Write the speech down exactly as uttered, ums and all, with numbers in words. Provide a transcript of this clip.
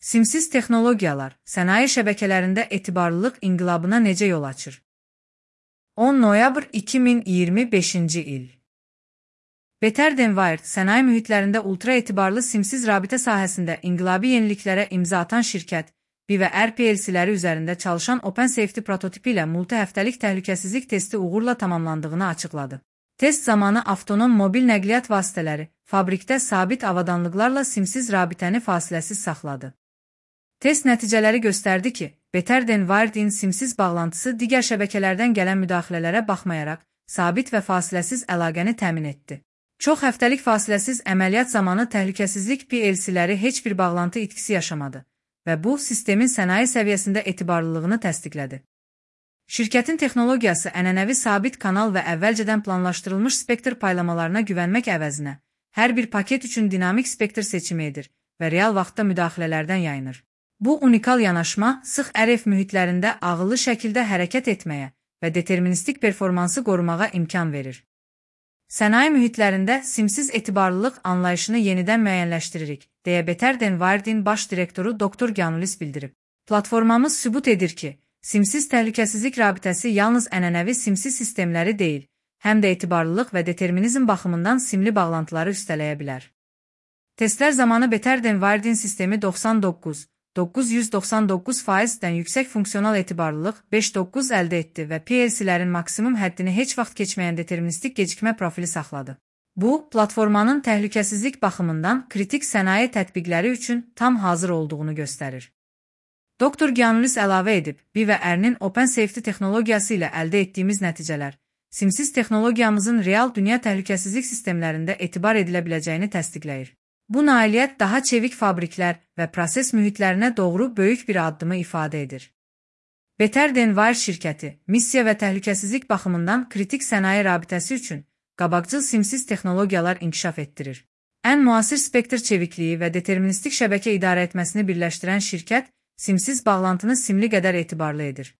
Simsiz texnologiyalar sənaye şəbəkələrində etibarlılıq inqilabına necə yol açır? on noyabr iki min iyirmi beşinci il. Better than Wired sənaye mühitlərində ultra etibarlı simsiz rabitə sahəsində inqilabi yeniliklərə imza atan şirkət, B və R P L C-ləri üzərində çalışan OpenSafety prototipi ilə multi-həftəlik təhlükəsizlik testi uğurla tamamlandığını açıqladı. Test zamanı avtonom mobil nəqliyyat vasitələri fabrikdə sabit avadanlıqlarla simsiz rabitəni fasiləsiz saxladı. Test nəticələri göstərdi ki, Better than Wired-in simsiz bağlantısı digər şəbəkələrdən gələn müdaxilələrə baxmayaraq, sabit və fasiləsiz əlaqəni təmin etdi. Çox həftəlik fasiləsiz əməliyyat zamanı təhlükəsizlik P L C-ləri heç bir bağlantı itkisi yaşamadı və bu, sistemin sənaye səviyyəsində etibarlılığını təsdiqlədi. Şirkətin texnologiyası ənənəvi sabit kanal və əvvəlcədən planlaşdırılmış spektr paylamalarına güvənmək əvəzinə, hər bir paket üçün dinamik spektr seçimi edir və real vaxtda müdaxilələrdən yayınır. Bu unikal yanaşma sıx R F mühitlərində ağıllı şəkildə hərəkət etməyə və deterministik performansı qorumağa imkan verir. Sənaye mühitlərində simsiz etibarlılıq anlayışını yenidən müəyyənləşdiririk, deyə Better than Wired-in baş direktoru doktor Gianlulis bildirib. Platformamız sübut edir ki, simsiz təhlükəsizlik rabitəsi yalnız ənənəvi simsiz sistemləri deyil, həm də etibarlılıq və determinizm baxımından simli bağlantıları üstələyə bilər. Testlər zamanı Better than Wired-in sistemi doxsan doqquz min doqquz yüz doxsan doqquz faizdən yüksək funksional etibarlılıq beş doqquz əldə etdi və P L C-lərin maksimum həddini heç vaxt keçməyən deterministik gecikmə profili saxladı. Bu, platformanın təhlükəsizlik baxımından kritik sənaye tətbiqləri üçün tam hazır olduğunu göstərir. doktor Gianlulis əlavə edib, B və R-nin OpenSafety texnologiyası ilə əldə etdiyimiz nəticələr, simsiz texnologiyamızın real dünya təhlükəsizlik sistemlərində etibar edilə biləcəyini təsdiqləyir. Bu nailiyyət daha çevik fabriklər və proses mühitlərinə doğru böyük bir addımı ifadə edir. Better than Wired şirkəti, missiya və təhlükəsizlik baxımından kritik sənaye rabitəsi üçün qabaqcıl simsiz texnologiyalar inkişaf etdirir. Ən müasir spektr çevikliyi və deterministik şəbəkə idarə etməsini birləşdirən şirkət, simsiz bağlantını simli qədər etibarlı edir.